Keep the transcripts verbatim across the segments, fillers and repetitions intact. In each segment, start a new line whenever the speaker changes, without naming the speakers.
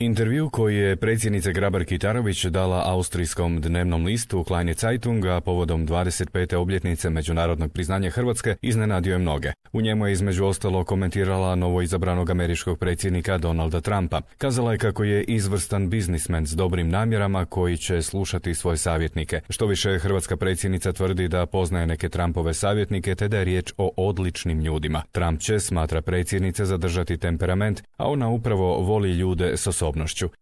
Intervju koji je predsjednica Grabar-Kitarović dala austrijskom dnevnom listu Kleine Zeitung, a povodom dvadeset pete obljetnice međunarodnog priznanja Hrvatske, iznenadio je mnoge. U njemu je između ostalo komentirala novoizabranog američkog predsjednika Donalda Trumpa. Kazala je kako je izvrstan biznismen s dobrim namjerama koji će slušati svoje savjetnike. Što više, hrvatska predsjednica tvrdi da poznaje neke Trumpove savjetnike te da je riječ o odličnim ljudima. Trump će, smatra predsjednica, zadržati temperament, a ona upravo voli ljude s osobnošću.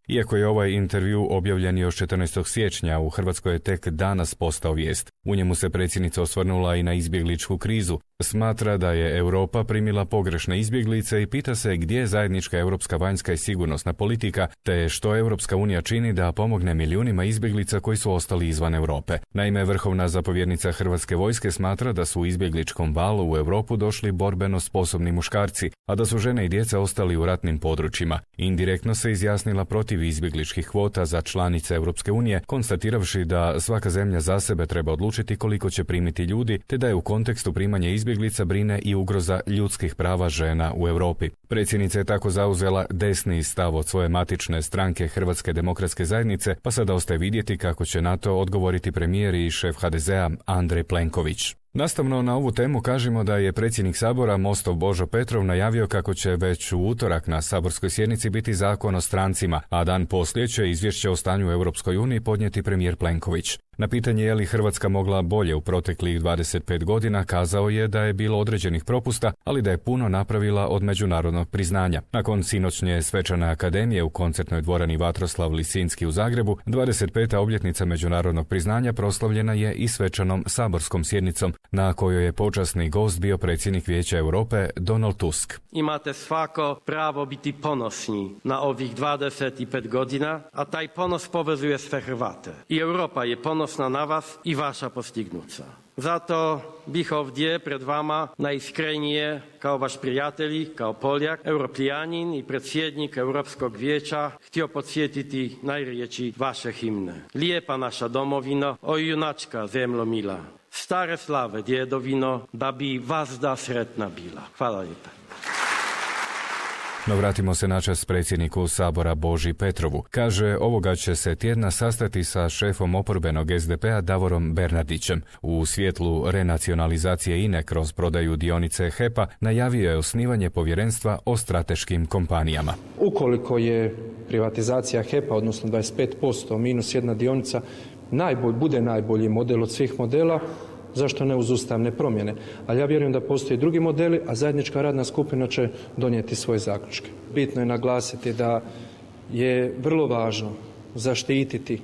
Iako je ovaj intervju objavljen još četrnaestog siječnja, u Hrvatskoj je tek danas postao vijest. U njemu se predsjednica osvrnula i na izbjegličku krizu. Smatra da je Europa primila pogrešne izbjeglice i pita se gdje je zajednička europska vanjska i sigurnosna politika, te što Europska unija čini da pomogne milijunima izbjeglica koji su ostali izvan Europe. Naime, vrhovna zapovjednica Hrvatske vojske smatra da su u izbjegličkom valu u Europu došli borbeno sposobni muškarci, a da su žene i djeca ostali u ratnim područjima. Indirektno se izjasnila protiv izbjegličkih kvota za članice Europske unije, konstatiravši da svaka zemlja za sebe treba odlučiti koliko će primiti ljudi, te da je u kontekstu primanja izbjeglica brine i ugroza ljudskih prava žena u Europi. Predsjednica je tako zauzela desni stav od svoje matične stranke Hrvatske demokratske zajednice, pa sada ostaje vidjeti kako će na to odgovoriti premijer i šef ha de zea Andrej Plenković. Nastavno na ovu temu kažemo da je predsjednik Sabora Mostov Božo Petrov najavio kako će već u utorak na saborskoj sjednici biti zakon o strancima, a dan poslije će izvješće o stanju u Europskoj uniji podnijeti premijer Plenković. Na pitanje je li Hrvatska mogla bolje u proteklih dvadeset pet godina, kazao je da je bilo određenih propusta, ali da je puno napravila od međunarodnog priznanja. Nakon sinoćnje svečane akademije u koncertnoj dvorani Vatroslav Lisinski u Zagrebu, dvadeset peta obljetnica međunarodnog priznanja proslavljena je i svečanom saborskom sjednicom, na kojoj je počasni gost bio predsjednik Vijeća Europe Donald Tusk.
Imate svako pravo biti ponosni na ovih dvadeset pet godina, a taj ponos povezuje sve Hrvate. I Europa je ponosna na vas i vaša postignuća. Zato bih ovdje pred vama najiskrenije, kao vaš prijatelj, kao Poljak, Europljanin i predsjednik Europskog vijeća, htio podsjetiti najriječi vaše himne. Lijepa naša domovino, o junačka zemljo mila, stare slave djedovino, da bi vazda sretna bila. Hvala lijepa.
No vratimo se načas predsjedniku Sabora Boži Petrovu. Kaže, ovoga će se tjedna sastati sa šefom oporbenog es de pea Davorom Bernardićem. U svjetlu renacionalizacije I N E kroz prodaju dionice he pa najavio je osnivanje povjerenstva o strateškim kompanijama.
Ukoliko je privatizacija he pa, odnosno dvadeset pet posto minus jedna dionica, najbolj, bude najbolji model od svih modela, zašto ne uz ustavne promjene? Ali ja vjerujem da postoje drugi modeli, a zajednička radna skupina će donijeti svoje zaključke. Bitno je naglasiti da je vrlo važno zaštititi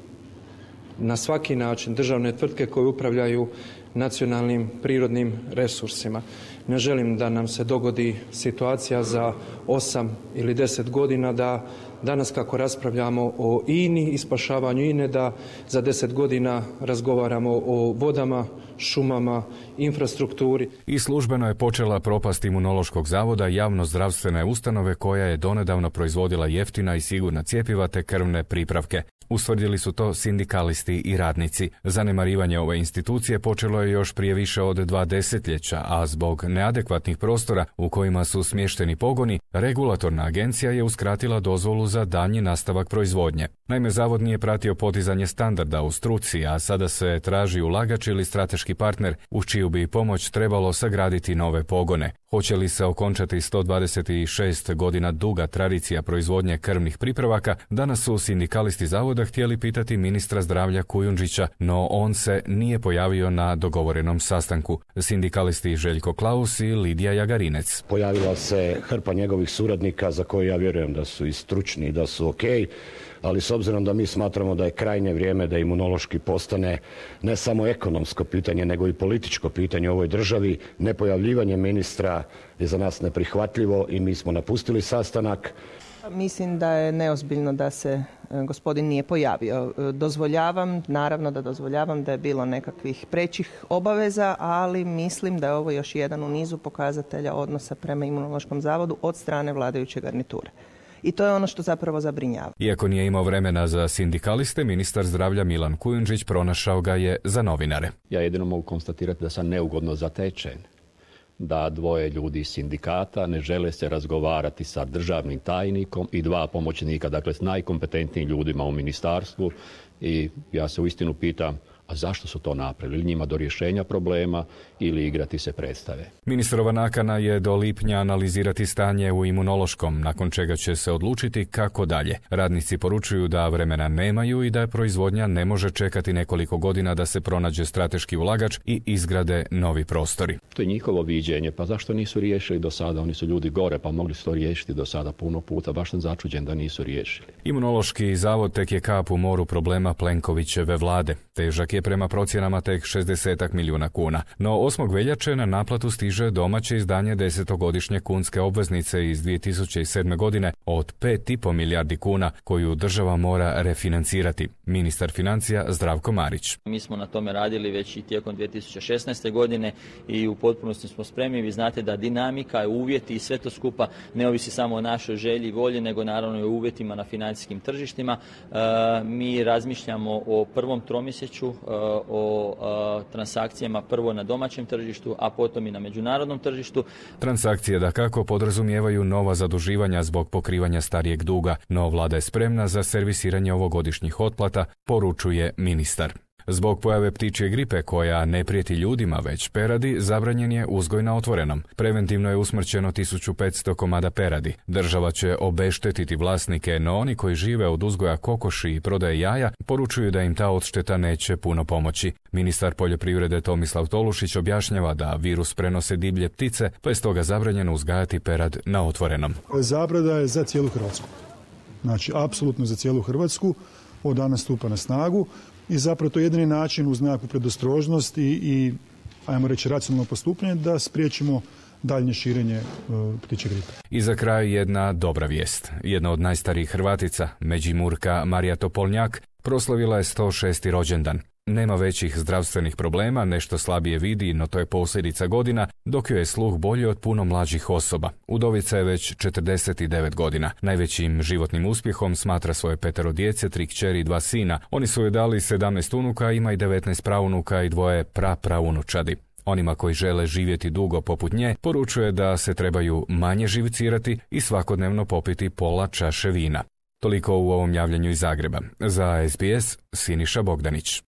na svaki način državne tvrtke koje upravljaju nacionalnim prirodnim resursima. Ne želim da nam se dogodi situacija za osam ili deset godina da danas kako raspravljamo o I N I i spašavanju I N E, da za deset godina razgovaramo o vodama, šumama, infrastrukturi.
I službeno je počela propast Imunološkog zavoda, javno-zdravstvene ustanove koja je donedavno proizvodila jeftina i sigurna cjepiva te krvne pripravke. Ustvrdili su to sindikalisti i radnici. Zanemarivanje ove institucije počelo je još prije više od dva desetljeća, a zbog neadekvatnih prostora u kojima su smješteni pogoni, regulatorna agencija je uskratila dozvolu za daljnji nastavak proizvodnje. Naime, zavod nije pratio podizanje standarda u struci, a sada se traži ulagač ili strateški partner uz čiju bi pomoć trebalo sagraditi nove pogone. Hoće li se okončati sto dvadeset šest godina duga tradicija proizvodnje krvnih pripravaka, danas su sindikalisti zavoda htjeli pitati ministra zdravlja Kujundžića, no on se nije pojavio na dogovorenom sastanku. Sindikalisti Željko Klaus i Lidija Jagarinec.
Pojavila se hrpa njegovih suradnika za koje ja vjerujem da su i stručni i da su okej, ali s obzirom da mi smatramo da je krajnje vrijeme da imunološki postane ne samo ekonomsko pitanje, nego i političko pitanje u ovoj državi, nepojavljivanje ministra je za nas neprihvatljivo i mi smo napustili sastanak.
Mislim da je neozbiljno da se gospodin nije pojavio. Dozvoljavam, naravno da dozvoljavam da je bilo nekakvih prećih obaveza, ali mislim da je ovo još jedan u nizu pokazatelja odnosa prema Imunološkom zavodu od strane vladajuće garniture. I to je ono što zapravo zabrinjava.
Iako nije imao vremena za sindikaliste, ministar zdravlja Milan Kujundžić pronašao ga je za novinare.
Ja jedino mogu konstatirati da sam neugodno zatečen. da dvoje ljudi iz sindikata ne žele se razgovarati sa državnim tajnikom i dva pomoćnika, dakle s najkompetentnijim ljudima u ministarstvu, i ja se uistinu pitam, a zašto su to napravili? Njima do rješenja problema ili igrati se predstave?
Ministrova nakana je do lipnja analizirati stanje u Imunološkom, nakon čega će se odlučiti kako dalje. Radnici poručuju da vremena nemaju i da proizvodnja ne može čekati nekoliko godina da se pronađe strateški ulagač i izgrade novi prostori.
To je njihovo viđenje, pa zašto nisu riješili do sada? Oni su ljudi gore, pa mogli su to riješiti do sada puno puta. Baš sam začuđen da nisu riješili.
Imunološki zavod tek je kap u moru problema Plenkovićeve vlade. Težak je prema procjenama tek šezdeset milijuna kuna. No osmog veljače na naplatu stiže domaće izdanje desetogodišnje kunske obveznice iz dvije tisuće sedme. godine od pet i pol milijardi kuna koju država mora refinancirati. Ministar financija Zdravko Marić.
Mi smo na tome radili već i tijekom dvije tisuće šesnaeste. godine i u potpunosti smo spremni. Vi znate da dinamika, uvjeti i sve to skupa ne ovisi samo o našoj želji i volji, nego naravno i o uvjetima na financijskim tržištima. E, mi razmišljamo o prvom tromjesečju, e, o e, transakcijama prvo na domaćem tržištu, a potom i na međunarodnom tržištu.
Transakcije dakako podrazumijevaju nova zaduživanja zbog pokrivanja starijeg duga, no vlada je spremna za servisiranje ovogodišnjih otplata, poručuje ministar. Zbog pojave ptičje gripe koja ne prijeti ljudima već peradi, zabranjen je uzgoj na otvorenom. Preventivno je usmrćeno tisuću petsto komada peradi. Država će obeštetiti vlasnike, no oni koji žive od uzgoja kokoši i prodaje jaja poručuju da im ta odšteta neće puno pomoći. Ministar poljoprivrede Tomislav Tolušić objašnjava da virus prenose divlje ptice, pa je stoga zabranjeno uzgajati perad na otvorenom.
Zabrada je za cijelu Hrvatsku. Znači, apsolutno za cijelu Hrvatsku. Od danas stupa na snagu. I zapravo to je jedini način uz nekakvu predostrožnost i, i ajmo reći racionalno postupanje da spriječimo daljnje širenje uh, ptičje gripe.
I za kraj jedna dobra vijest. Jedna od najstarijih Hrvatica, Međimurka Marija Topolnjak, proslavila je sto šesti rođendan. Nema većih zdravstvenih problema, nešto slabije vidi, no to je posljedica godina, dok joj je sluh bolji od puno mlađih osoba. Udovica je već četrdeset devet godina. Najvećim životnim uspjehom smatra svoje petero djece, tri kćeri i dva sina. Oni su joj dali sedamnaest unuka, ima i devetnaest praunuka i dvoje prapraunučadi. Onima koji žele živjeti dugo poput nje, poručuje da se trebaju manje živcirati i svakodnevno popiti pola čaše vina. Toliko u ovom javljanju iz Zagreba. Za S B S, Siniša Bogdanić.